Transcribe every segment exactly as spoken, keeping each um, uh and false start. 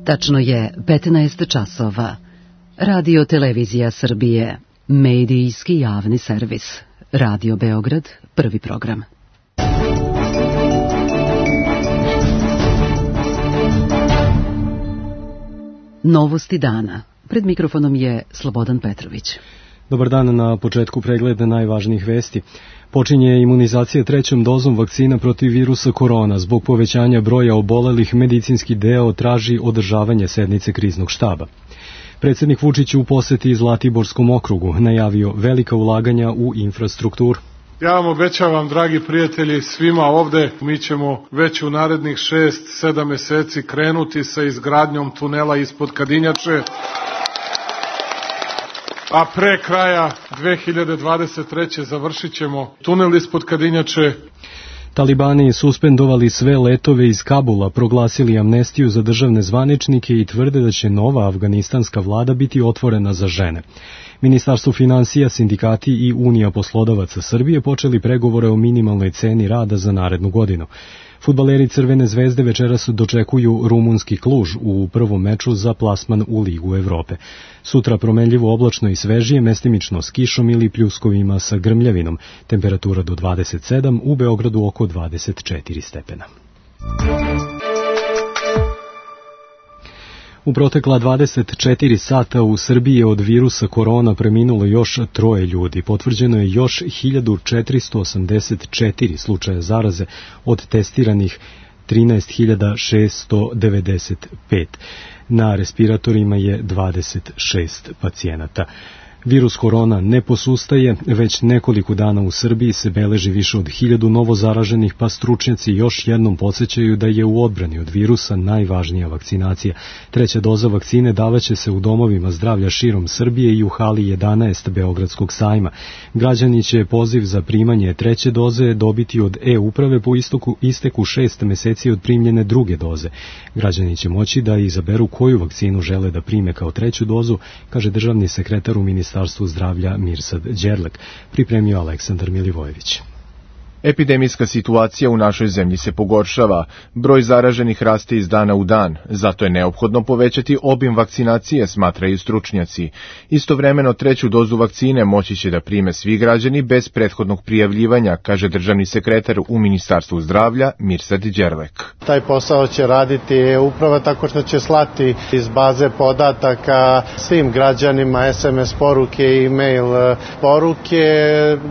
Tačno je petnaest časova. Radio Televizija Srbije, medijski javni servis. Radio Beograd, prvi program. Novosti dana. Pred mikrofonom je Slobodan Petrović. Dobar dan, na početku pregleda najvažnijih vesti. Počinje imunizacija trećom dozom vakcina protiv virusa korona. Zbog povećanja broja obolelih, medicinski deo traži održavanje sednice kriznog štaba. Predsednik Vučić u poseti Zlatiborskom okrugu najavio velika ulaganja u infrastrukturu. Ja vam obećavam, dragi prijatelji, svima ovde, mi ćemo već u narednih šest, sedam meseci krenuti sa izgradnjom tunela ispod Kadinjače, a pre kraja dve hiljade dvadeset treće završit ćemo tunel ispod Kadinjače. Talibani suspendovali sve letove iz Kabula, proglasili amnestiju za državne zvaničnike i tvrde da će nova afganistanska vlada biti otvorena za žene. Ministarstvo finansija, sindikati i Unija poslodavaca Srbije počeli pregovore o minimalnoj ceni rada za narednu godinu. Fudbaleri Crvene zvezde večeras dočekuju rumunski Kluž u prvom meču za plasman u Ligu Evrope. Sutra promenljivo oblačno i svežije, mestimično s kišom ili pljuskovima sa grmljavinom. Temperatura do dvadeset sedam, u Beogradu oko dvadeset četiri stepena. U protekla dvadeset četiri sata u Srbiji je od virusa korona preminulo još troje ljudi. Potvrđeno je još hiljadu četiristo osamdeset četiri slučaja zaraze od testiranih trinaest hiljada šessto devedeset pet. Na respiratorima je dvadeset šest pacijenata. Virus korona ne posustaje, već nekoliko dana u Srbiji se beleži više od hiljadu novozaraženih, pa stručnjaci još jednom podsjećaju da je u odbrani od virusa najvažnija vakcinacija. Treća doza vakcine davaće se u domovima zdravlja širom Srbije i u hali jedanaest Beogradskog sajma. Građani će poziv za primanje treće doze dobiti od e-uprave po istoku, isteku šest meseci od primljene druge doze. Građani će moći da izaberu koju vakcinu žele da prime kao treću dozu, kaže državni sekretar u Ministarstvu Ministarstvu zdravlja Mirsad Đerlek, pripremio Aleksandar Milivojević. Epidemijska situacija u našoj zemlji se pogoršava, broj zaraženih raste iz dana u dan, zato je neophodno povećati obim vakcinacije, smatraju stručnjaci. Istovremeno treću dozu vakcine moći će da prime svi građani bez prethodnog prijavljivanja, kaže državni sekretar u Ministarstvu zdravlja Mirsad Đerlek. Taj posao će raditi e-uprava tako što će slati iz baze podataka svim građanima es em es poruke i e-mail poruke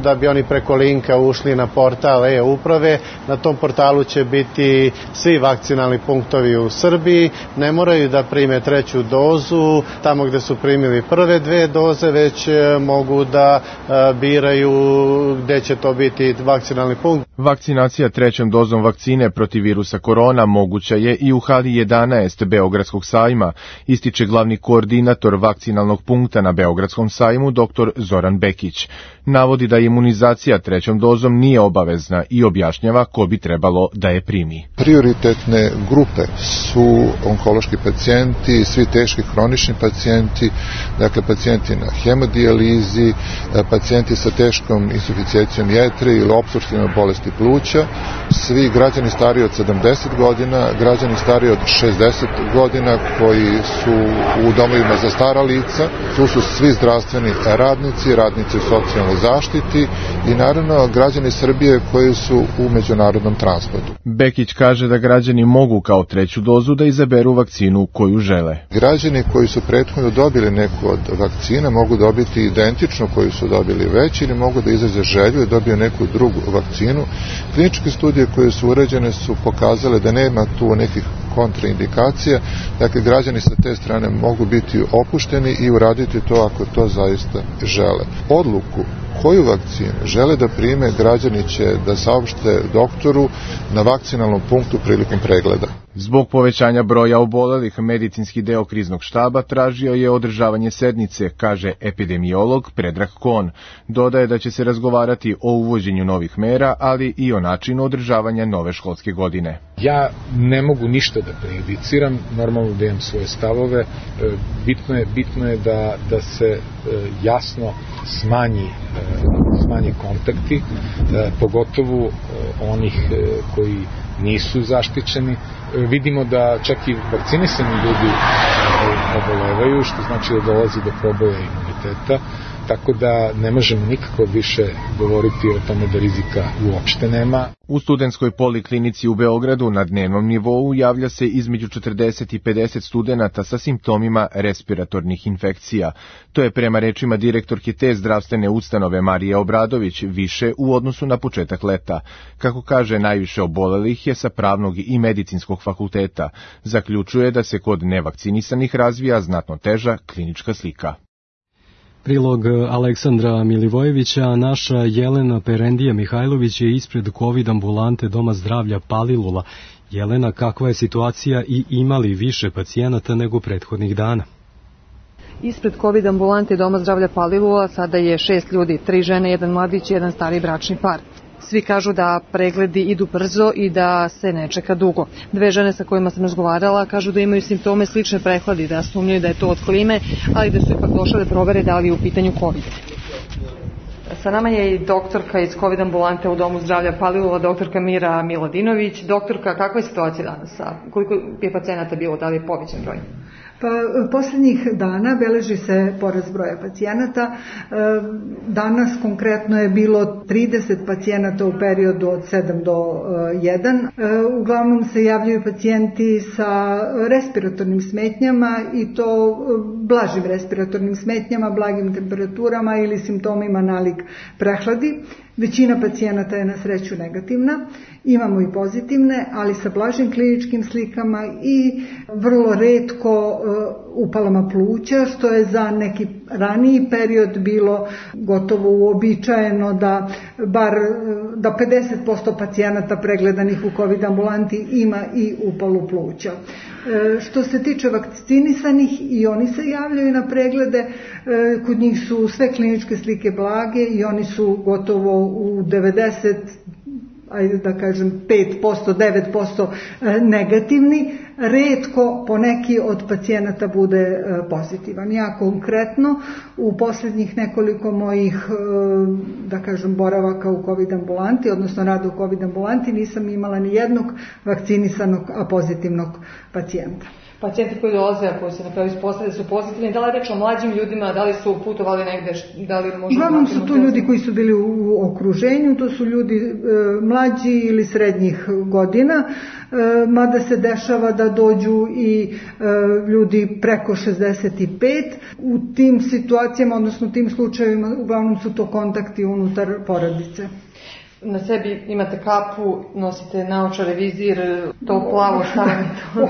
da bi oni preko linka ušli na portal e-uprave. Na tom portalu će biti svi vakcinalni punktovi u Srbiji. Ne moraju da prime treću dozu tamo gde su primili prve dve doze, već mogu da biraju gde će to biti vakcinalni punkt. Vakcinacija trećom dozom vakcine protiv virusa korona moguća je i u hali jedanaest Beogradskog sajma, ističe glavni koordinator vakcinalnog punkta na Beogradskom sajmu doktor Zoran Bekić. Navodi da imunizacija trećom dozom nije obavezna i objašnjava ko bi trebalo da je primi. Prioritetne grupe su onkološki pacijenti, svi teški hronični pacijenti, dakle pacijenti na hemodijalizi, pacijenti sa teškom insuficijencijom jetre ili opstruktivnom bolesti pluća, svi građani stariji od sedamdeset godina, građani stariji od šezdeset godina koji su u domovima za stara lica, tu su svi zdravstveni radnici, radnici u socijalnoj zaštiti i naravno građani Srbije koji su u međunarodnom transportu. Bekić kaže da građani mogu kao treću dozu da izaberu vakcinu koju žele. Građani koji su prethodno dobili neku od vakcina mogu dobiti identičnu koju su dobili već ili mogu da izraze želju i dobiju neku drugu vakcinu. Kliničke studije koje su urađene su pokazale da nema tu nekih kontraindikacija, dakle građani sa te strane mogu biti opušteni i uraditi to ako to zaista žele. Odluku koju vakcinu žele da prime, građani će da saopšte doktoru na vakcinalnom punktu prilikom pregleda. Zbog povećanja broja obolelih, medicinski deo kriznog štaba tražio je održavanje sednice, kaže epidemiolog Predrag Kon. Dodaje da će se razgovarati o uvođenju novih mera, ali i o načinu održavanja nove školske godine. Ja ne mogu ništa da prejudiciram, normalno da imam svoje stavove. Bitno je, bitno je da, da se jasno smanji, smanji kontakti, pogotovo onih koji nisu zaštićeni. Vidimo da čak i vakcinisani ljudi obolevaju, što znači da dolazi do proboja imuniteta, tako da ne možemo nikako više govoriti o tome da rizika uopšte nema. U studentskoj poliklinici u Beogradu na dnevnom nivou javlja se između četrdeset i pedeset studenata sa simptomima respiratornih infekcija. To je prema rečima direktorke te zdravstvene ustanove Marije Obradović više u odnosu na početak leta. Kako kaže, najviše obolelih je sa pravnog i medicinskog fakulteta. Zaključuje da se kod nevakcinisanih razvija znatno teža klinička slika. Prilog Aleksandra Milivojevića, naša Jelena Perendija Mihajlović je ispred COVID ambulante Doma zdravlja Palilula. Jelena, kakva je situacija i ima li više pacijenata nego prethodnih dana? Ispred COVID ambulante Doma zdravlja Palilula sada je šest ljudi, tri žene, jedan mladić i jedan stari bračni par. Svi kažu da pregledi idu brzo i da se ne čeka dugo. Dve žene sa kojima sam razgovarala kažu da imaju simptome slične prehladi, da sumnjaju da je to od klime, ali da su ipak došle da provere da li je u pitanju COVID. Sa nama je i doktorka iz COVID ambulante u Domu zdravlja Palilula, doktorka Mira Miladinović. Doktorka, kakva je situacija danas? Koliko je pacijenata bilo? Da li je povećan broj? Pa, posljednjih dana beleži se porast broja pacijenata. Danas konkretno je bilo trideset pacijenata u periodu od sedam do jedan. Uglavnom se javljaju pacijenti sa respiratornim smetnjama i to blažim respiratornim smetnjama, blagim temperaturama ili simptomima nalik prehladi. Većina pacijenata je na sreću negativna, imamo i pozitivne, ali sa blažim kliničkim slikama i vrlo retko upalama pluća, što je za neki raniji period bilo gotovo uobičajeno da bar da pedeset posto pacijenata pregledanih u COVID ambulanti ima i upalu pluća. Što se tiče vakcinisanih, i oni se javljaju na preglede, kod njih su sve kliničke slike blage i oni su gotovo u devedeset, ajde da kažem pet posto, devet posto negativni. Retko poneki od pacijenata bude pozitivan. Ja konkretno u posljednjih nekoliko mojih, da kažem, boravaka u COVID ambulanti, odnosno rada u COVID ambulanti, nisam imala ni jednog vakcinisanog, a pozitivnog pacijenta. Pacijenti koji dolaze, a koji se na kraju ispostavljaju su pozitivni, da li reč o mlađim ljudima, da li su putovali negde, da li možda... Uglavnom su to ljudi koji su bili u okruženju, to su ljudi e, mlađi ili srednjih godina, e, mada se dešava da dođu i e, ljudi preko šezdeset pet. U tim situacijama, odnosno tim slučajevima, uglavnom su to kontakti unutar porodice. Na sebi imate kapu, nosite naočare, vizir, to plavo, šta vam je to?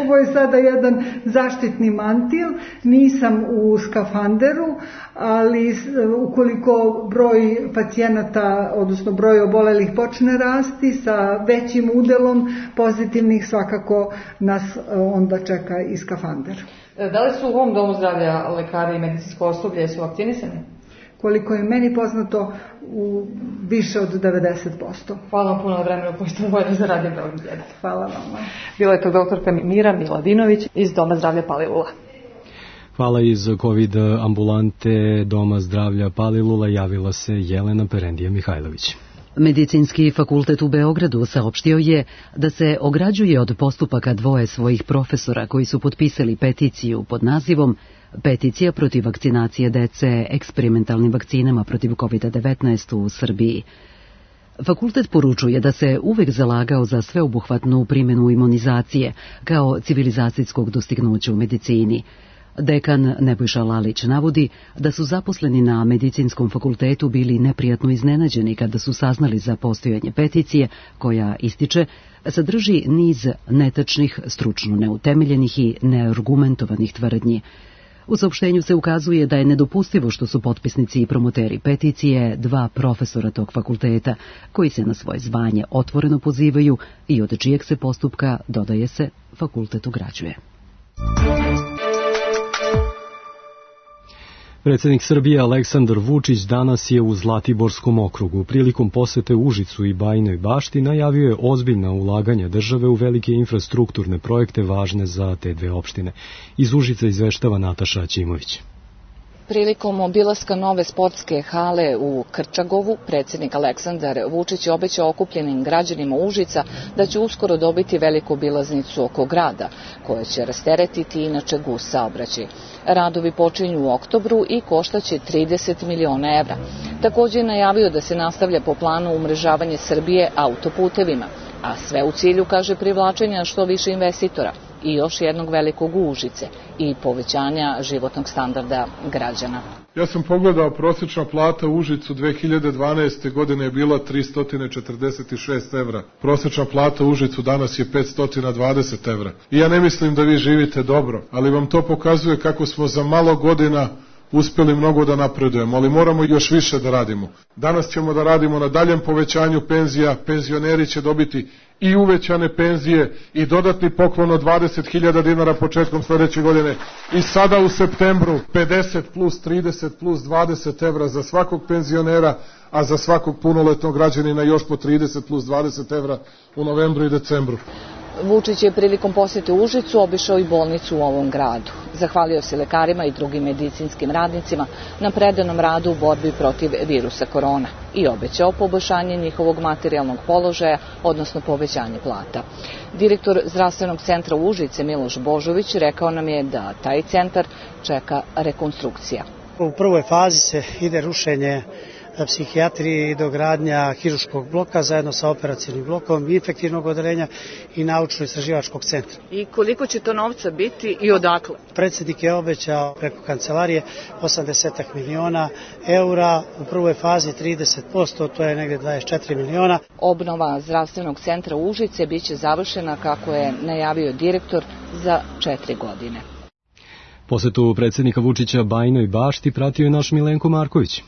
Ovo je sada jedan zaštitni mantil, nisam u skafanderu, ali ukoliko broj pacijenata, odnosno broj obolelih počne rasti sa većim udelom pozitivnih, svakako nas onda čeka i skafander. Da li su u ovom domu zdravlja lekari i medicinsko osoblje su vakcinisani? Koliko je meni poznato, u više od devedeset posto. Hvala vam puno na vremenu koji ste vojni za Radio Beograd jedan. Hvala vam. Bila je to doktorka Mira Miladinović iz Doma zdravlja Palilula. Hvala. Iz COVID ambulante Doma zdravlja Palilula javila se Jelena Perendija Mihajlović. Medicinski fakultet u Beogradu saopštio je da se ograđuje od postupaka dvoje svojih profesora koji su potpisali peticiju pod nazivom Peticija protiv vakcinacije dece eksperimentalnim vakcinama protiv COVID devetnaest u Srbiji. Fakultet poručuje da se uvek zalagao za sveobuhvatnu primjenu imunizacije kao civilizacijskog dostignuća u medicini. Dekan Nebojša Lalić navodi da su zaposleni na medicinskom fakultetu bili neprijatno iznenađeni kada su saznali za postojanje peticije koja, ističe, sadrži niz netačnih, stručno neutemeljenih i neargumentovanih tvrdnji. U saopštenju se ukazuje da je nedopustivo što su potpisnici i promoteri peticije dva profesora tog fakulteta, koji se na svoje zvanje otvoreno pozivaju i od čijeg se postupka, dodaje se, fakultet ograđuje. Predsjednik Srbije Aleksandar Vučić danas je u Zlatiborskom okrugu. Prilikom posete Užicu i Bajinoj Bašti najavio je ozbiljna ulaganja države u velike infrastrukturne projekte važne za te dve opštine. Iz Užica izveštava Nataša Ćimović. Prilikom obilaska nove sportske hale u Krčagovu, predsjednik Aleksandar Vučić je obećao okupljenim građanima Užica da će uskoro dobiti veliku obilaznicu oko grada, koja će rasteretiti inače gust saobraćaj. Radovi počinju u oktobru i koštaće trideset miliona evra. Također je najavio da se nastavlja po planu umrežavanje Srbije autoputevima, a sve u cilju, kaže, privlačenja što više investitora i još jednog velikog Užice i povećanja životnog standarda građana. Ja sam pogledao, prosječna plata u Užicu dve hiljade dvanaeste. godine je bila tristo četrdeset šest evra. Prosječna plata u Užicu danas je petsto dvadeset evra. I ja ne mislim da vi živite dobro, ali vam to pokazuje kako smo za malo godina uspjeli mnogo da napredujemo, ali moramo još više da radimo. Danas ćemo da radimo na daljem povećanju penzija, penzioneri će dobiti i uvećane penzije i dodatni poklon od dvadeset hiljada dinara početkom sljedeće godine. I sada u septembru pedeset plus trideset plus dvadeset evra za svakog penzionera, a za svakog punoletnog građanina još po trideset plus dvadeset evra u novembru i decembru. Vučić je prilikom posjete Užicu obišao i bolnicu u ovom gradu. Zahvalio se lekarima i drugim medicinskim radnicima na predanom radu u borbi protiv virusa korona i obećao poboljšanje njihovog materijalnog položaja, odnosno povećanje plata. Direktor zdravstvenog centra Užice Miloš Božović rekao nam je da taj centar čeka rekonstrukcija. U prvoj fazi se ide rušenje psihijatrije i dogradnja hiruškog bloka zajedno sa operacijnim blokom, infektivnog odeljenja i naučno-istraživačkog centra. I koliko će to novca biti i odakle? Predsjednik je obećao preko kancelarije osamdeset miliona eura, u prvoj fazi trideset posto, to je negdje dvadeset četiri miliona. Obnova zdravstvenog centra Užice biće završena, kako je najavio direktor, za četiri godine. Posetu predsjednika Vučića Bajinoj Bašti pratio je naš Milenko Marković.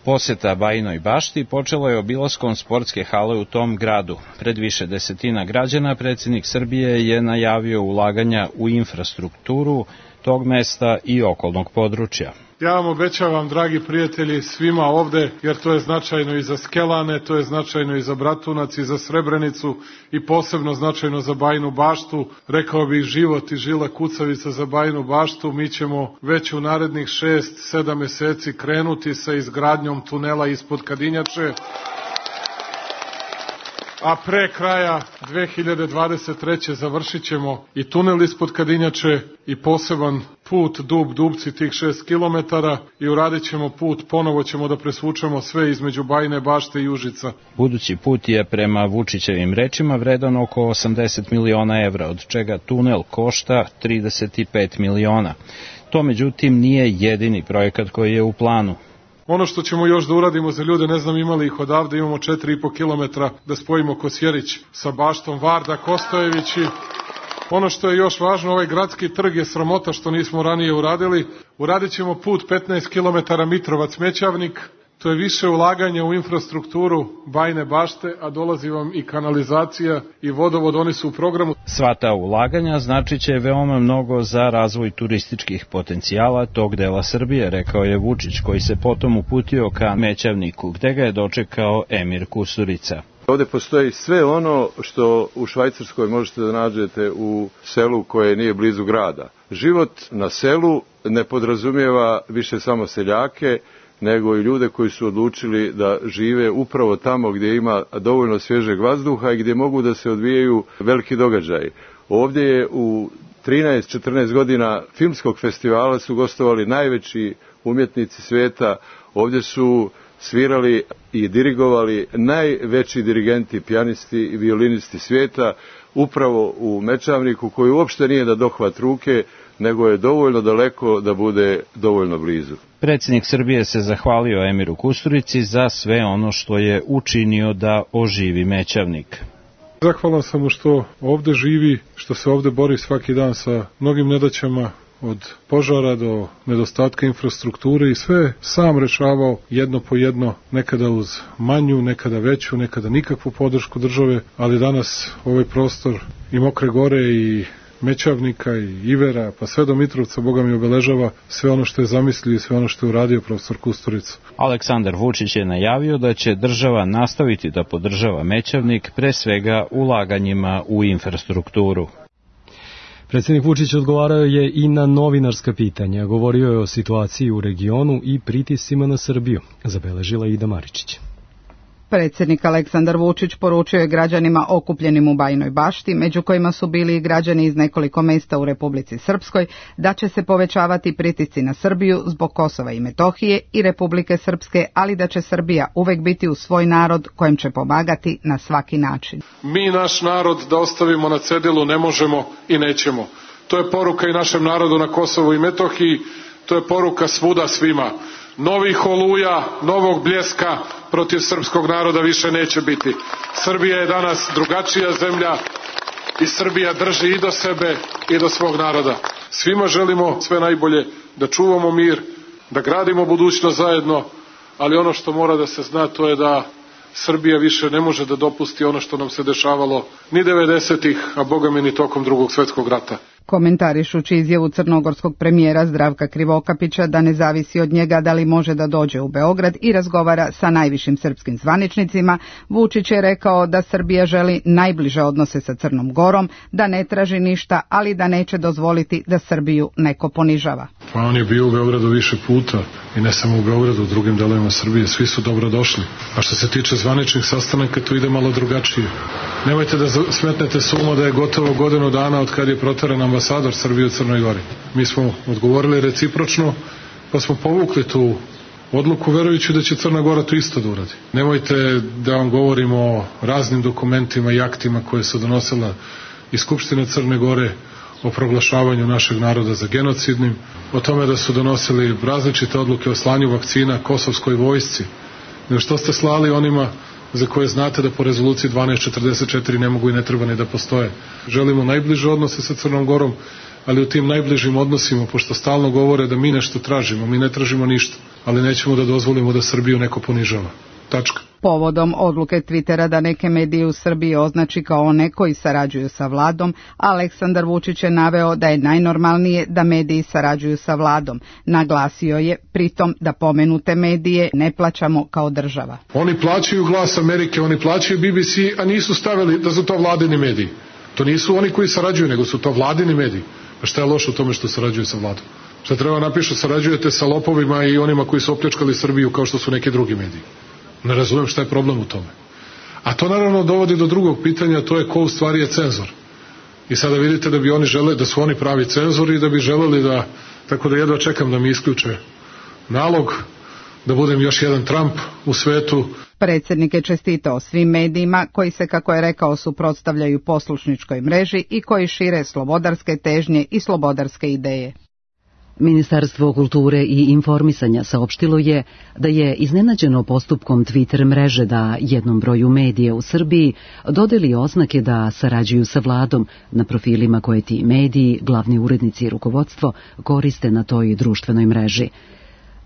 Poseta Bajinoj Bašti počelo je obilaskom sportske hale u tom gradu. Pred više desetina građana predsjednik Srbije je najavio ulaganja u infrastrukturu tog mesta i okolnog područja. Ja vam obećavam, dragi prijatelji, svima ovde, jer to je značajno i za Skelane, to je značajno i za Bratunac i za Srebrenicu i posebno značajno za Bajinu Baštu. Rekao bih život i žila kucavica za Bajinu Baštu. Mi ćemo već u narednih šest, sedam meseci krenuti sa izgradnjom tunela ispod Kadinjače, a pre kraja dve hiljade dvadeset treće. završit ćemo i tunel ispod Kadinjače i poseban put Dub Dubci, tih šest kilometara, i uradit ćemo put, ponovo ćemo da presvučemo sve između Bajine Bašte i Užica. Budući put je prema Vučićevim rečima vredan oko osamdeset miliona evra, od čega tunel košta trideset pet miliona. To međutim nije jedini projekat koji je u planu. Ono što ćemo još da uradimo za ljude, ne znam imali ih odavde, imamo četiri i po kilometra da spojimo Kosjerić sa Baštom, Varda, Kostojević. I ono što je još važno, ovaj gradski trg je sramota što nismo ranije uradili. Uradit ćemo put petnaest kilometara Mitrovac-Mećavnik. To je više ulaganja u infrastrukturu Bajine Bašte, a dolazi vam i kanalizacija i vodovod, oni su u programu. Sva ta ulaganja značit će veoma mnogo za razvoj turističkih potencijala tog dela Srbije, rekao je Vučić, koji se potom uputio ka Mećavniku, gde ga je dočekao Emir Kusturica. Ovde postoji sve ono što u Švajcarskoj možete da nađete u selu koje nije blizu grada. Život na selu ne podrazumijeva više samo seljake, nego i ljude koji su odlučili da žive upravo tamo gdje ima dovoljno svježeg vazduha i gdje mogu da se odvijaju veliki događaji. Ovdje je u trinaest četrnaest godina filmskog festivala su gostovali najveći umjetnici svijeta, ovdje su svirali i dirigovali najveći dirigenti, pijanisti i violinisti svijeta, upravo u Mećavniku, koji uopšte nije da dohvat ruke, nego je dovoljno daleko da bude dovoljno blizu. Predsjednik Srbije se zahvalio Emiru Kusturici za sve ono što je učinio da oživi Mećavnik. Zahvalan sam mu što ovde živi, što se ovde bori svaki dan sa mnogim nedaćama, od požara do nedostatka infrastrukture, i sve sam rešavao jedno po jedno, nekada uz manju, nekada veću, nekada nikakvu podršku države, ali danas ovaj prostor i Mokre Gore i Mećavnika i Ivera, pa sve do Mitrovca, Boga mi obeležava sve ono što je zamislio i sve ono što je uradio profesor Kusturica. Aleksandar Vučić je najavio da će država nastaviti da podržava Mećavnik, pre svega ulaganjima u infrastrukturu. Predsjednik Vučić odgovarao je i na novinarska pitanja. Govorio je o situaciji u regionu i pritiscima na Srbiju, zabeležila Ida Maričić. Predsjednik Aleksandar Vučić poručio je građanima okupljenim u Bajinoj Bašti, među kojima su bili i građani iz nekoliko mesta u Republici Srpskoj, da će se povećavati pritisci na Srbiju zbog Kosova i Metohije i Republike Srpske, ali da će Srbija uvek biti uz svoj narod kojem će pomagati na svaki način. Mi naš narod da ostavimo na cedilu ne možemo i nećemo. To je poruka i našem narodu na Kosovu i Metohiji, to je poruka svuda svima. Novih oluja, novog bljeska protiv srpskog naroda više neće biti. Srbija je danas drugačija zemlja i Srbija drži i do sebe i do svog naroda. Svima želimo sve najbolje, da čuvamo mir, da gradimo budućnost zajedno, ali ono što mora da se zna to je da Srbija više ne može da dopusti ono što nam se dešavalo ni devedesetih, a boga mi ni tokom drugog svjetskog rata. Komentarišući izjavu crnogorskog premijera Zdravka Krivokapića da ne zavisi od njega da li može da dođe u Beograd i razgovara sa najvišim srpskim zvaničnicima, Vučić je rekao da Srbija želi najbliže odnose sa Crnom Gorom, da ne traži ništa, ali da neće dozvoliti da Srbiju neko ponižava. Pa on je bio u Beogradu više puta i ne samo u Beogradu, u drugim delovima Srbije, svi su dobro došli. A što se tiče zvaničnih sastanaka, to ide malo drugačije. Nemojte da smetnete s uma da je gotovo godinu dana od kad je proteran ambasador Srbije u Crnoj Gori. Mi smo odgovorili recipročno, pa smo povukli tu odluku verujući da će Crna Gora to isto da uradi. Nemojte da vam govorimo o raznim dokumentima i aktima koje su donosila i Skupština Crne Gore o proglašavanju našeg naroda za genocidnim, o tome da su donosili različite odluke o slanju vakcina kosovskoj vojsci. Nego što ste slali onima za koje znate da po rezoluciji dvanaest četrdeset četiri ne mogu i ne treba ni da postoje. Želimo najbliže odnose sa Crnom Gorom, ali u tim najbližim odnosima, pošto stalno govore da mi nešto tražimo, mi ne tražimo ništa, ali nećemo da dozvolimo da Srbiju neko ponižava. Tačka. Povodom odluke Twittera da neke medije u Srbiji označi kao one koji sarađuju sa vladom, Aleksandar Vučić je naveo da je najnormalnije da mediji sarađuju sa vladom. Naglasio je pritom da pomenute medije ne plaćamo kao država. Oni plaćaju Glas Amerike, oni plaćaju B B C, a nisu stavili da su to vladini mediji. To nisu oni koji sarađuju, nego su to vladini mediji. Pa šta je loše u tome što sarađuju sa vladom? Šta treba napišu, sarađujete sa lopovima i onima koji su opljačkali Srbiju kao što su neki drugi mediji. Ne razumijem šta je problem u tome. A to naravno dovodi do drugog pitanja, to je ko u stvari je cenzor. I sada vidite da bi oni žele, da su oni pravi cenzori i da bi želeli da, tako da jedva čekam da mi isključe nalog, da budem još jedan Trump u svetu. Predsjednik je čestitao svim medijima koji se, kako je rekao, suprotstavljaju poslušničkoj mreži i koji šire slobodarske težnje i slobodarske ideje. Ministarstvo kulture i informisanja saopštilo je da je iznenađeno postupkom Twitter mreže da jednom broju medija u Srbiji dodeli oznake da sarađuju sa vladom na profilima koje ti mediji, glavni urednici i rukovodstvo koriste na toj društvenoj mreži.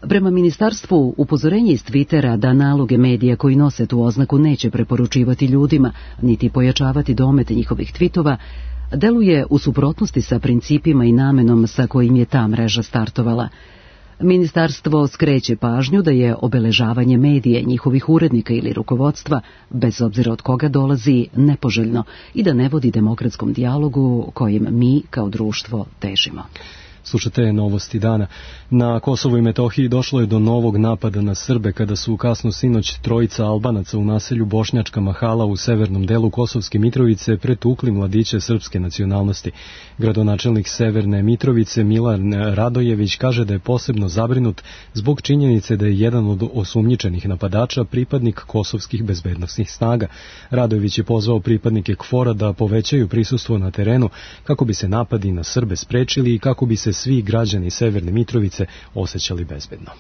Prema ministarstvu, upozorenje iz Twittera da naloge medija koji nose tu oznaku neće preporučivati ljudima, niti pojačavati domet njihovih tvitova, deluje u suprotnosti sa principima i namenom sa kojim je ta mreža startovala. Ministarstvo skreće pažnju da je obeležavanje medija, njihovih urednika ili rukovodstva, bez obzira od koga dolazi, nepoželjno i da ne vodi demokratskom dijalogu kojim mi kao društvo težimo. Slušate novosti dana. Na Kosovu i Metohiji došlo je do novog napada na Srbe kada su kasno sinoć trojica Albanaca u naselju Bošnjačka Mahala u severnom delu Kosovske Mitrovice pretukli mladiće srpske nacionalnosti. Gradonačelnik Severne Mitrovice Milan Radojević kaže da je posebno zabrinut zbog činjenice da je jedan od osumnjičenih napadača pripadnik kosovskih bezbednosnih snaga. Radojević je pozvao pripadnike KFOR-a da povećaju prisustvo na terenu kako bi se napadi na Srbe sprečili i kako bi se svi građani Severne Mitrovice osjećali bezbedno.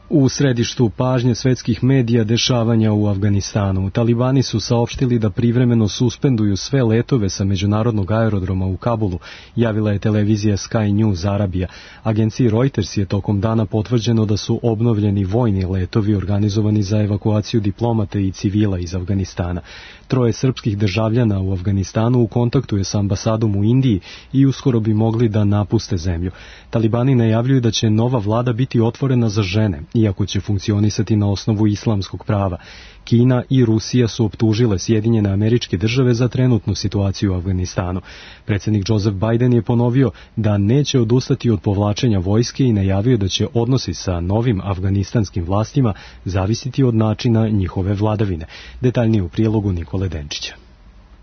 U središtu pažnje svetskih medija dešavanja u Afganistanu. Talibani su saopštili da privremeno suspenduju sve letove sa međunarodnog aerodroma u Kabulu, javila je televizija Sky News Arabija. Agenciji Reuters je tokom dana potvrđeno da su obnovljeni vojni letovi organizovani za evakuaciju diplomata i civila iz Afganistana. Troje srpskih državljana u Afganistanu u kontaktu je sa ambasadom u Indiji i uskoro bi mogli da napuste zemlju. Talibani najavljuju da će nova vlada biti otvorena za žene iako će funkcionisati na osnovu islamskog prava. Kina i Rusija su optužile Sjedinjene Američke Države za trenutnu situaciju u Afganistanu. Predsjednik Joseph Biden je ponovio da neće odustati od povlačenja vojske i najavio da će odnosi sa novim afganistanskim vlastima zavisiti od načina njihove vladavine. Detaljnije u prilogu Nikole Denčića.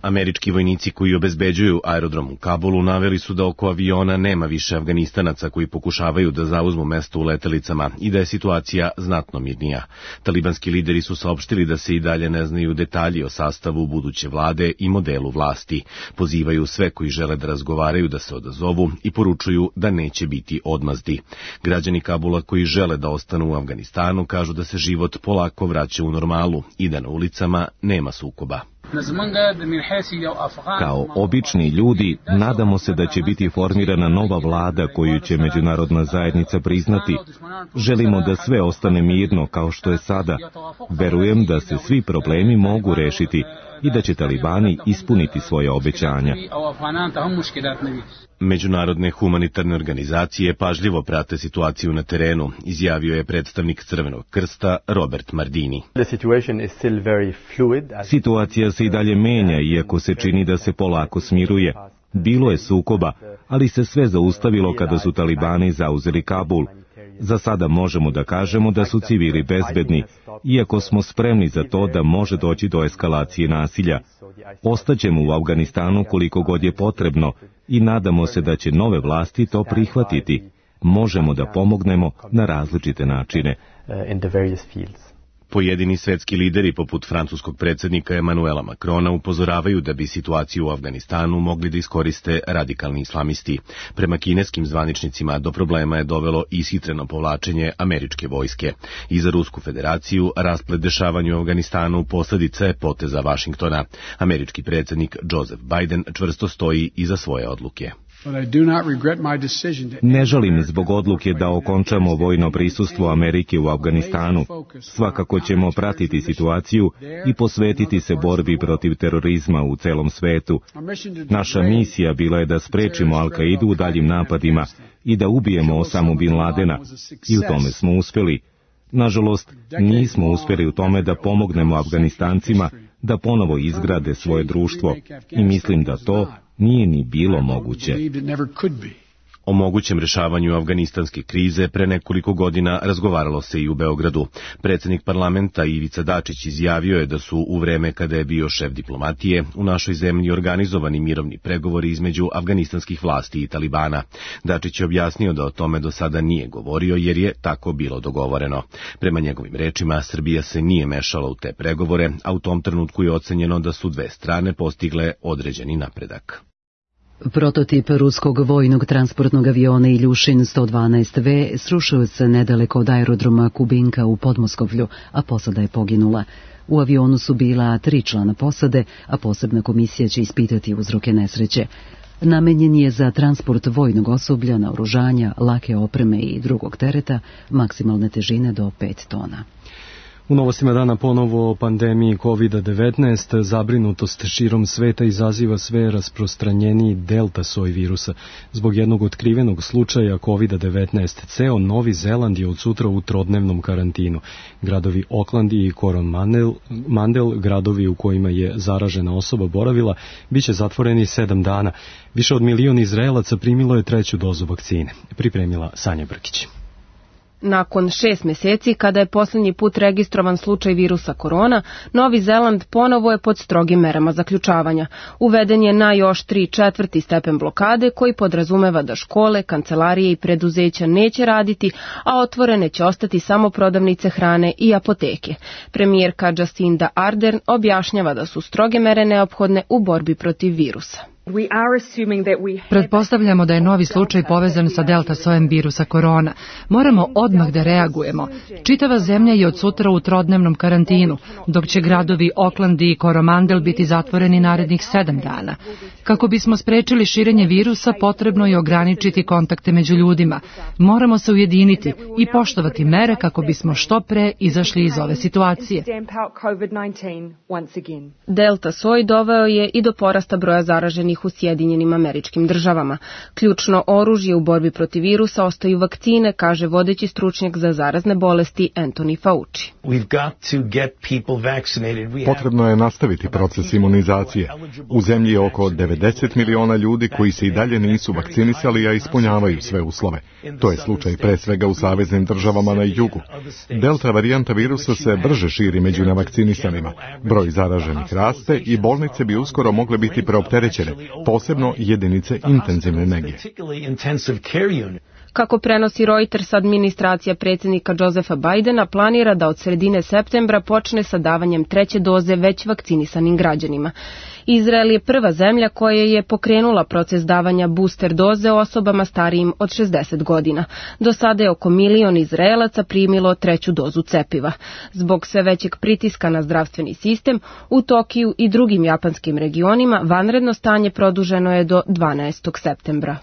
Američki vojnici koji obezbeđuju aerodrom u Kabulu naveli su da oko aviona nema više Afganistanaca koji pokušavaju da zauzmu mesto u letelicama i da je situacija znatno mirnija. Talibanski lideri su saopštili da se i dalje ne znaju detalji o sastavu buduće vlade i modelu vlasti. Pozivaju sve koji žele da razgovaraju da se odazovu i poručuju da neće biti odmazdi. Građani Kabula koji žele da ostanu u Afganistanu kažu da se život polako vraća u normalu i da na ulicama nema sukoba. Kao obični ljudi, nadamo se da će biti formirana nova vlada koju će međunarodna zajednica priznati. Želimo da sve ostane mirno kao što je sada. Verujem da se svi problemi mogu rešiti i da će talibani ispuniti svoje obećanja. Međunarodne humanitarne organizacije pažljivo prate situaciju na terenu, izjavio je predstavnik Crvenog krsta Robert Mardini. Situacija se i dalje menja, iako se čini da se polako smiruje. Bilo je sukoba, ali se sve zaustavilo kada su talibani zauzeli Kabul. Za sada možemo da kažemo da su civili bezbedni, iako smo spremni za to da može doći do eskalacije nasilja. Ostaćemo u Afganistanu koliko god je potrebno i nadamo se da će nove vlasti to prihvatiti. Možemo da pomognemo na različite načine. Pojedini svetski lideri, poput francuskog predsjednika Emanuela Macrona, upozoravaju da bi situaciju u Afganistanu mogli da iskoriste radikalni islamisti. Prema kineskim zvaničnicima do problema je dovelo ishitreno povlačenje američke vojske. I za Rusku federaciju rasplet dešavanja u Afganistanu posljedica je poteza Vašingtona. Američki predsjednik Joseph Biden čvrsto stoji iza svoje odluke. Ne žalim zbog odluke da okončamo vojno prisustvo Amerike u Afganistanu. Svakako ćemo pratiti situaciju i posvetiti se borbi protiv terorizma u celom svetu. Naša misija bila je da sprečimo Al-Kaidu u daljim napadima i da ubijemo Osamu Bin Ladena. I u tome smo uspjeli. Nažalost, nismo uspjeli u tome da pomognemo Afganistancima da ponovo izgrade svoje društvo i mislim da to nije ni bilo moguće. O mogućem rešavanju afganistanske krize pre nekoliko godina razgovaralo se i u Beogradu. Predsjednik parlamenta Ivica Dačić izjavio je da su u vreme kada je bio šef diplomatije u našoj zemlji organizovani mirovni pregovori između afganistanskih vlasti i Talibana. Dačić je objasnio da o tome do sada nije govorio jer je tako bilo dogovoreno. Prema njegovim rečima, Srbija se nije mešala u te pregovore, a u tom trenutku je ocenjeno da su dve strane postigle određeni napredak. Prototip ruskog vojnog transportnog aviona Iljušin sto dvanaest ve srušio se nedaleko od aerodroma Kubinka u Podmoskovlju, a posada je poginula. U avionu su bila tri člana posade, a posebna komisija će ispitati uzroke nesreće. Namenjen je za transport vojnog osoblja, naoružanja, lake opreme i drugog tereta, maksimalne težine do pet tona. U novostima dana ponovo o pandemiji kovid devetnaest, zabrinutost širom sveta izaziva sve rasprostranjeniji delta soj virusa. Zbog jednog otkrivenog slučaja kovid devetnaest, ceo Novi Zeland je od sutra u trodnevnom karantinu. Gradovi Auckland i Coromandel, gradovi u kojima je zaražena osoba boravila, bit će zatvoreni sedam dana. Više od milion Izraelaca primilo je treću dozu vakcine. Pripremila Sanja Brkić. Nakon šest mjeseci, kada je posljednji put registrovan slučaj virusa korona, Novi Zeland ponovo je pod strogim merama zaključavanja. Uveden je na još tri četvrti stepen blokade koji podrazumeva da škole, kancelarije i preduzeća neće raditi, a otvorene će ostati samo prodavnice hrane i apoteke. Premijerka Jacinda Ardern objašnjava da su stroge mere neophodne u borbi protiv virusa. Pretpostavljamo da je novi slučaj povezan sa delta sojem virusa korona. Moramo odmah da reagujemo. Čitava zemlja je od sutra u trodnevnom karantinu, dok će gradovi Auckland i Coromandel biti zatvoreni narednih sedam dana. Kako bismo sprečili širenje virusa, potrebno je ograničiti kontakte među ljudima. Moramo se ujediniti i poštovati mere kako bismo što pre izašli iz ove situacije. Delta soj doveo je i do porasta broja zaraženih proizvedenih u Sjedinjenim Američkim Državama. Ključno oružje u borbi protiv virusa ostaju vakcine, kaže vodeći stručnjak za zarazne bolesti Anthony Fauci. Potrebno je nastaviti proces imunizacije. U zemlji je oko devedeset miliona ljudi koji se i dalje nisu vakcinisali, a ispunjavaju sve uslove. To je slučaj pre svega u saveznim državama na jugu. Delta varijanta virusa se brže širi među nevakcinisanima. Broj zaraženih raste i bolnice bi uskoro mogle biti preopterećene, posebno jedinice intenzivne nege. Kako prenosi Reuters, administracija predsjednika Josepha Bidena planira da od sredine septembra počne sa davanjem treće doze već vakcinisanim građanima. Izrael je prva zemlja koja je pokrenula proces davanja booster doze osobama starijim od šezdeset godina. Do sada je oko milion Izraelaca primilo treću dozu cepiva. Zbog sve većeg pritiska na zdravstveni sistem, u Tokiju i drugim japanskim regionima vanredno stanje produženo je do dvanaestog septembra.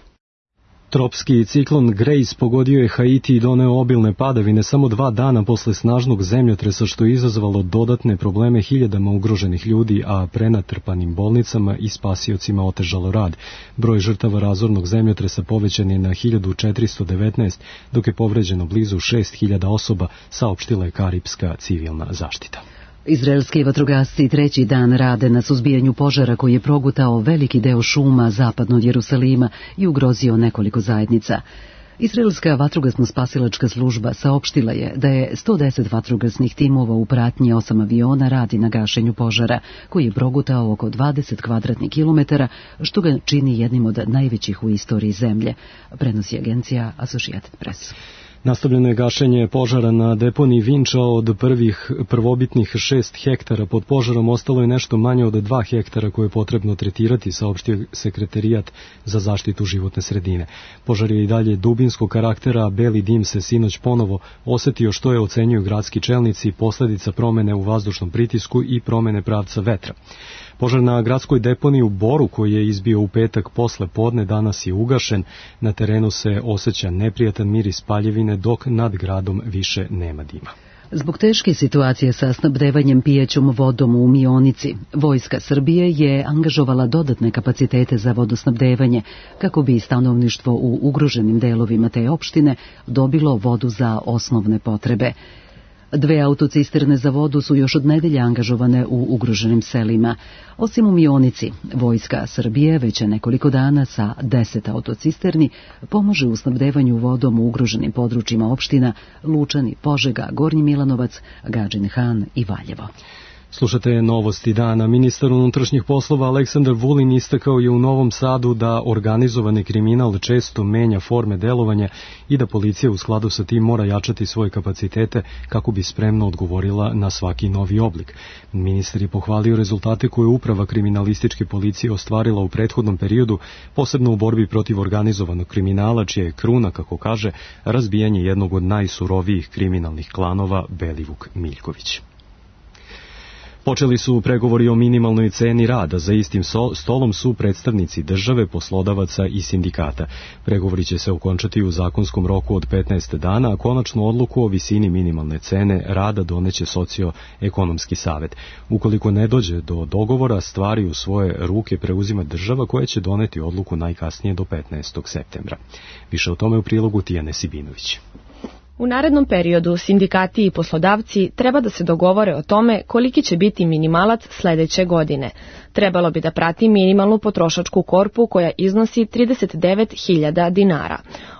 Tropski ciklon Grace pogodio je Haiti i doneo obilne padavine samo dva dana posle snažnog zemljotresa, što je izazvalo dodatne probleme hiljadama ugroženih ljudi, a prenatrpanim bolnicama i spasiocima otežalo rad. Broj žrtava razornog zemljotresa povećan je na hiljadu četiristo devetnaest, dok je povređeno blizu šest hiljada osoba, saopštila je Karipska civilna zaštita. Izraelski vatrogasci treći dan rade na suzbijanju požara koji je progutao veliki deo šuma zapadno od Jerusalima i ugrozio nekoliko zajednica. Izraelska vatrogasno-spasilačka služba saopštila je da je sto deset vatrogasnih timova u pratnji osam aviona radi na gašenju požara, koji je progutao oko dvadeset kvadratnih kilometara, što ga čini jednim od najvećih u istoriji zemlje, prenosi agencija Associated Press. Nastavljeno je gašenje požara na deponiji Vinča. Od prvih prvobitnih šest hektara pod požarom ostalo je nešto manje od dva hektara koje je potrebno tretirati, saopštio sekretarijat za zaštitu životne sredine. Požar je i dalje dubinskog karaktera, a beli dim se sinoć ponovo osetio, što je ocenjuju gradski čelnici, posledica promene u vazdušnom pritisku i promene pravca vetra. Požar na gradskoj deponiji u Boru, koji je izbio u petak posle podne, danas je ugašen. Na terenu se osjeća neprijatan miris paljevine, dok nad gradom više nema dima. Zbog teške situacije sa snabdevanjem pijaćom vodom u Mionici, Vojska Srbije je angažovala dodatne kapacitete za vodosnabdevanje, kako bi stanovništvo u ugroženim delovima te opštine dobilo vodu za osnovne potrebe. Dve autocisterne za vodu su još od nedelje angažovane u ugroženim selima. Osim u Mionici, Vojska Srbije već nekoliko dana sa deset autocisterni pomaže u snabdevanju vodom u ugroženim područjima opština Lučani, Požega, Gornji Milanovac, Gadžin Han i Valjevo. Slušate novosti dana. Ministar unutrašnjih poslova Aleksandar Vulin istakao je u Novom Sadu da organizovani kriminal često menja forme delovanja i da policija u skladu sa tim mora jačati svoje kapacitete kako bi spremno odgovorila na svaki novi oblik. Ministar je pohvalio rezultate koje je uprava kriminalističke policije ostvarila u prethodnom periodu, posebno u borbi protiv organizovanog kriminala, čija je kruna, kako kaže, razbijanje jednog od najsurovijih kriminalnih klanova Belivuk Miljković. Počeli su pregovori o minimalnoj ceni rada. Za istim stolom su predstavnici države, poslodavaca i sindikata. Pregovori će se okončati u zakonskom roku od petnaest dana, a konačnu odluku o visini minimalne cene rada doneće socioekonomski savet. Ukoliko ne dođe do dogovora, stvari u svoje ruke preuzima država, koja će doneti odluku najkasnije do petnaestog septembra. Više o tome u prilogu Tijane Sibinović. U narednom periodu sindikati i poslodavci treba da se dogovore o tome koliki će biti minimalac sledeće godine. Trebalo bi da prati minimalnu potrošačku korpu koja iznosi trideset devet hiljada dinara.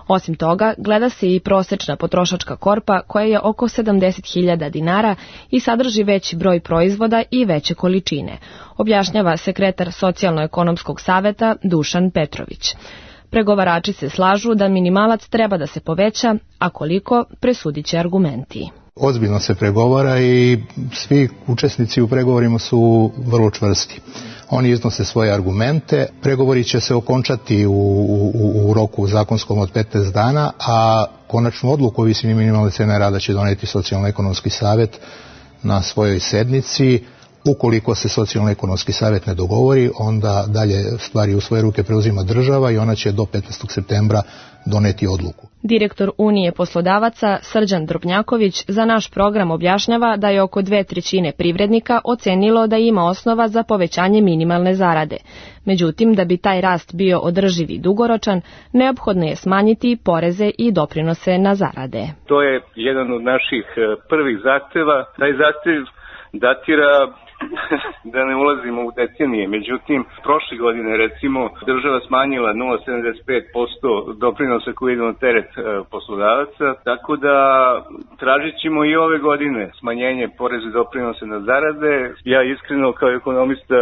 Osim toga, gleda se i prosečna potrošačka korpa koja je oko sedamdeset hiljada dinara i sadrži veći broj proizvoda i veće količine, objašnjava sekretar Socijalno-ekonomskog saveta Dušan Petrović. Pregovarači se slažu da minimalac treba da se poveća, a koliko presudit će argumenti. Ozbiljno se pregovara i svi učesnici u pregovorima su vrlo čvrsti. Oni iznose svoje argumente, pregovori će se okončati u, u, u roku zakonskom od petnaest dana, a konačnu odluku o visini minimalne cene rada će doneti Socijalno-ekonomski savet na svojoj sednici. Ukoliko se socijalno-ekonomski savjet ne dogovori, onda dalje stvari u svoje ruke preuzima država i ona će do petnaestog septembra doneti odluku. Direktor Unije poslodavaca Srđan Drobnjaković za naš program objašnjava da je oko dve trećine privrednika ocenilo da ima osnova za povećanje minimalne zarade. Međutim, da bi taj rast bio održiv i dugoročan, neophodno je smanjiti poreze i doprinose na zarade. To je jedan od naših prvih zahteva. Taj zahtev datira da ne ulazimo u decenije. Međutim, prošle godine recimo država smanjila nula zarez sedamdeset pet posto doprinosa koji ide na teret poslodavaca, tako da tražit ćemo i ove godine smanjenje poreza i doprinosa na zarade. Ja iskreno kao ekonomista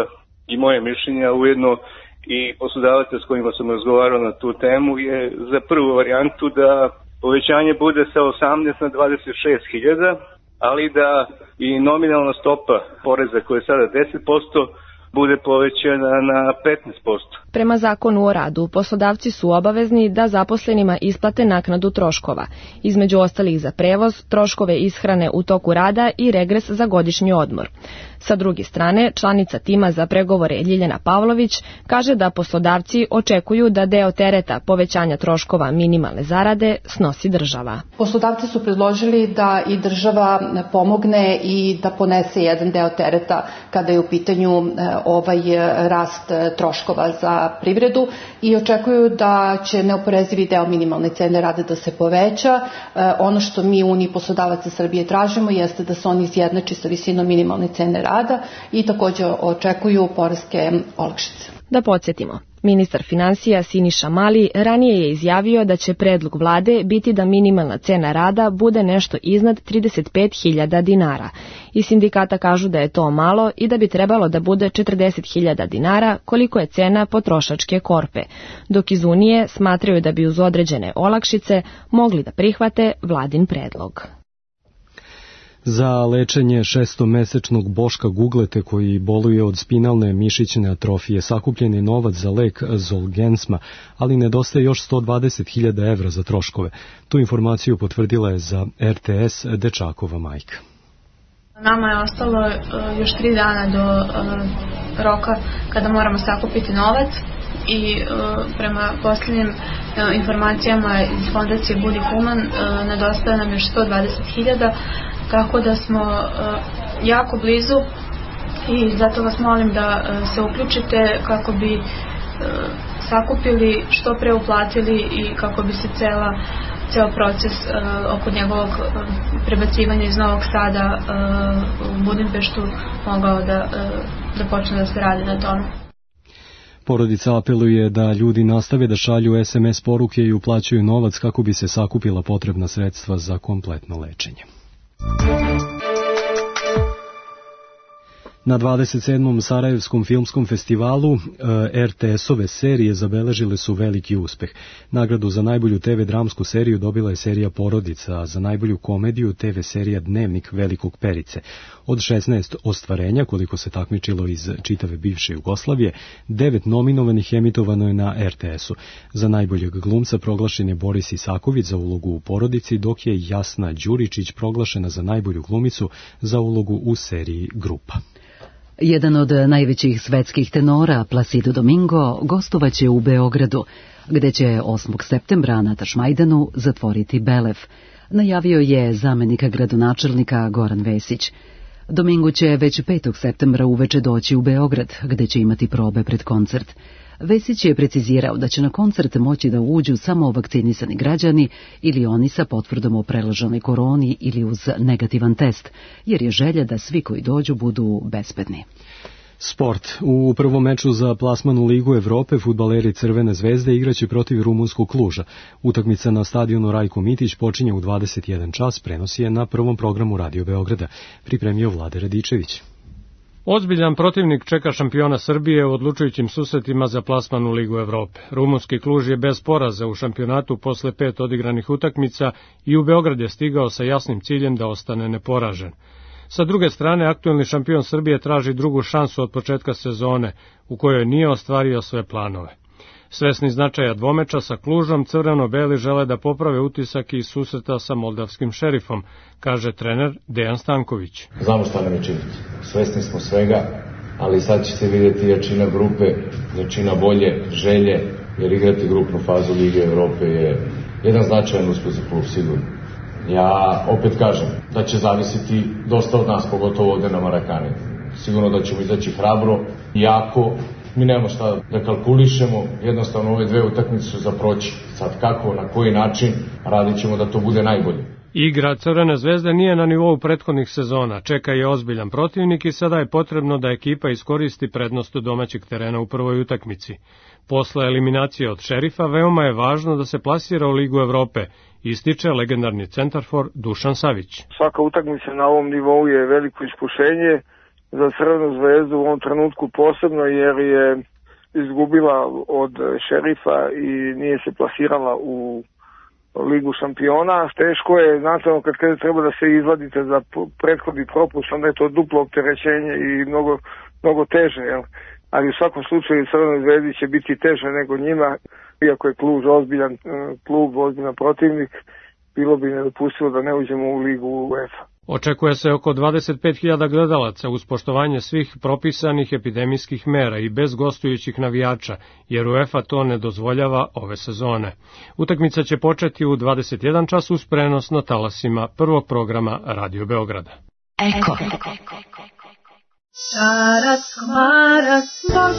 i moje mišljenja, ujedno i poslodavaca s kojima sam razgovarao na tu temu, je za prvu varijantu da povećanje bude sa osamnaest na dvadeset šest hiljada, ali da i nominalna stopa poreza koja je sada deset posto bude povećana na petnaest posto. Prema zakonu o radu, poslodavci su obavezni da zaposlenima isplate naknadu troškova, između ostalih za prevoz, troškove ishrane u toku rada i regres za godišnji odmor. Sa druge strane, članica tima za pregovore Ljiljana Pavlović kaže da poslodavci očekuju da deo tereta povećanja troškova minimalne zarade snosi država. Poslodavci su predložili da i država pomogne i da ponese jedan deo tereta kada je u pitanju ovaj rast troškova za privredu i očekuju da će neoporezivi deo minimalne cene rada da se poveća. Ono što mi u Uniji poslodavaca Srbije tražimo jeste da se on izjednači sa visinom minimalne cene rada i također očekuju poreske olakšice. Da podsjetimo, ministar finansija Siniša Mali ranije je izjavio da će predlog vlade biti da minimalna cena rada bude nešto iznad trideset pet hiljada dinara. I sindikata kažu da je to malo i da bi trebalo da bude četrdeset hiljada dinara koliko je cena potrošačke korpe, dok iz Unije smatraju da bi uz određene olakšice mogli da prihvate vladin predlog. Za lečenje šestomesečnog Boška Guglete koji boluje od spinalne mišićne atrofije sakupljen je novac za lek Zolgensma, ali nedostaje još sto dvadeset hiljada evra za troškove. Tu informaciju potvrdila je za R T S dečakova majka. Nama je ostalo još tri dana do roka kada moramo sakupiti novac i prema posljednjim informacijama iz fondacije Budi Human nedostaje nam još sto dvadeset hiljada, tako da smo jako blizu i zato vas molim da se uključite kako bi sakupili, što pre uplatili i kako bi se cela, ceo proces oko njegovog prebacivanja iz Novog Sada u Budimpeštu mogao da, da počne da se radi na tome. Porodica apeluje da ljudi nastave da šalju S M S poruke i uplaćuju novac kako bi se sakupila potrebna sredstva za kompletno lečenje. Na dvadeset sedmom Sarajevskom filmskom festivalu R T S-ove serije zabeležile su veliki uspeh. Nagradu za najbolju T V dramsku seriju dobila je serija Porodica, a za najbolju komediju T V serija Dnevnik Velikog Perice. Od šesnaest ostvarenja, koliko se takmičilo iz čitave bivše Jugoslavije, devet nominovanih emitovano je na R T S-u. Za najboljeg glumca proglašen je Boris Isaković za ulogu u Porodici, dok je Jasna Đuričić proglašena za najbolju glumicu za ulogu u seriji Grupa. Jedan od najvećih svetskih tenora, Placido Domingo, gostovaće u Beogradu, gde će osmog septembra na Tašmajdanu zatvoriti Belev. Najavio je zamenika gradonačelnika Goran Vesić. Domingo će već petog septembra uveče doći u Beograd, gde će imati probe pred koncert. Vesić je precizirao da će na koncert moći da uđu samo vakcinisani građani ili oni sa potvrdom o prelaženoj koroni ili uz negativan test, jer je želja da svi koji dođu budu bezbedni. Sport. U prvom meču za plasman u Ligu Evrope fudbaleri Crvene zvezde igraće protiv rumunskog Kluža. Utakmica na stadionu Rajko Mitić počinje u dvadeset jedan čas, prenosi je na prvom programu Radio Beograda. Pripremio Vlade Radičević. Ozbiljan protivnik čeka šampiona Srbije u odlučujućim susretima za plasman u Ligu Evrope. Rumunski Kluž je bez poraza u šampionatu posle pet odigranih utakmica i u Beograd je stigao sa jasnim ciljem da ostane neporažen. Sa druge strane, aktuelni šampion Srbije traži drugu šansu od početka sezone, u kojoj nije ostvario sve planove. Svesni značaja dvomeča sa Klužom, crveno-beli žele da poprave utisak iz susreta sa moldavskim Šerifom, kaže trener Dejan Stanković. Znamo šta nam je činiti, svesni smo svega, ali sad će se vidjeti jačina grupe, jačina volje, želje, jer igrati grupnu fazu Lige Evrope je jedan značajan uspeh za klub sigurno. Ja opet kažem da će zavisiti dosta od nas, pogotovo ovde na Marakani. Sigurno da ćemo izaći hrabro, jako, mi nemamo šta da kalkulišemo, jednostavno ove dve utakmice su za proći. Sad kako, na koji način, radit ćemo da to bude najbolje. Igra Crvene zvezde nije na nivou prethodnih sezona, čeka je ozbiljan protivnik i sada je potrebno da ekipa iskoristi prednost domaćeg terena u prvoj utakmici. Posle eliminacije od Šerifa veoma je važno da se plasira u Ligu Evrope, ističe legendarni centarfor Dušan Savić. Svaka utakmica na ovom nivou je veliko iskušenje za Crvenu zvezdu u ovom trenutku posebno, jer je izgubila od Šerifa i nije se plasirala u Ligu šampiona. Teško je, znate, kad kada treba da se izvadite za prethodni propust, onda je to duplo opterećenje i mnogo, mnogo teže, jel? Ali u svakom slučaju Crvenoj zvezdi će biti teže nego njima, iako je Kluž ozbiljan klub, ozbiljan protivnik, bilo bi nedopustivo da ne uđemo u Ligu UEFA. Očekuje se oko dvadeset pet hiljada gledalaca uz poštovanje svih propisanih epidemijskih mera i bez gostujućih navijača, jer UEFA to ne dozvoljava ove sezone. Utakmica će početi u dvadeset jedan čas uz prenos na talasima prvog programa Radio Beograda. Eko.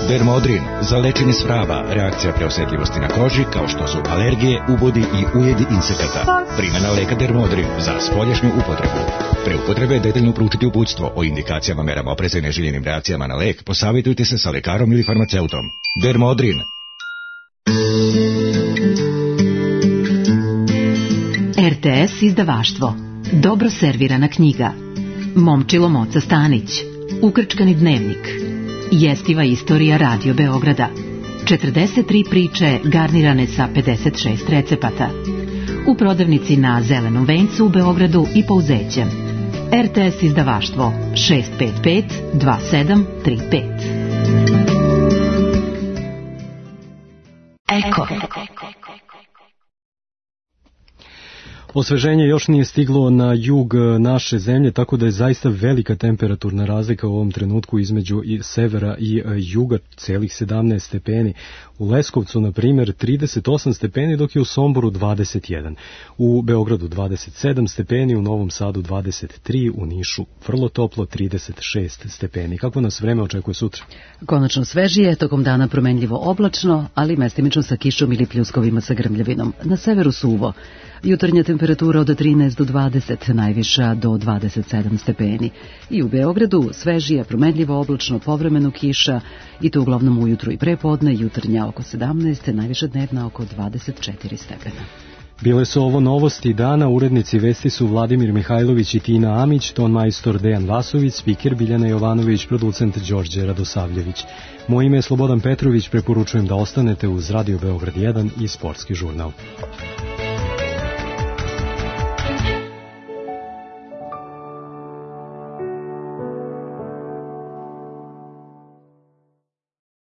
Dermodrin za lečenje svraba, reakcija preosetljivosti na koži kao što su alergije, ubodi i ujedi insekata. Primjena leka Dermodrin za spoljašnju upotrebu. Pre upotrebe detaljno proučiti uputstvo o indikacijama, merama opreza i neželjenim reakcijama na lek. Posavitujte se sa lekarom ili farmaceutom. Dermodrin. R T S izdavaštvo. Dobro servirana knjiga. Momčilo Moca Stanić. Ukrčkani dnevnik. Jestiva istorija Radio Beograda. četrdeset tri priče garnirane sa pedeset šest recepata. U prodavnici na Zelenom vencu u Beogradu i Pouzećem. R T S izdavaštvo šest pet pet dva sedam tri pet. Eko. Osveženje još nije stiglo na jug naše zemlje, tako da je zaista velika temperaturna razlika u ovom trenutku između i severa i juga, celih sedamnaest stepeni. U Leskovcu, na primjer, trideset osam stepeni, dok je u Somboru dvadeset jedan. U Beogradu dvadeset sedam stepeni, u Novom Sadu dvadeset tri, u Nišu vrlo toplo trideset šest stepeni. Kako nas vreme očekuje sutra? Konačno svežije, tokom dana promenljivo oblačno, ali mestimično sa kišom ili pljuskovima sa grmljavinom. Na severu suvo. Jutarnja temperatura od trinaest do dvadeset, najviša do dvadeset sedam stepeni. I u Beogradu svežija, promenljivo oblačno, povremeno kiša, i to uglavnom ujutru i prepodne, jutarnja oko sedamnaest, najviša dnevna oko dvadeset četiri stepena. Bile su ovo novosti dana, urednici vesti su Vladimir Mihajlović i Tina Amić, ton majstor Dejan Vasović, spiker Biljana Jovanović, producent Đorđe Radosavljević. Moje ime je Slobodan Petrović, preporučujem da ostanete uz Radio Beograd jedan i Sportski žurnal.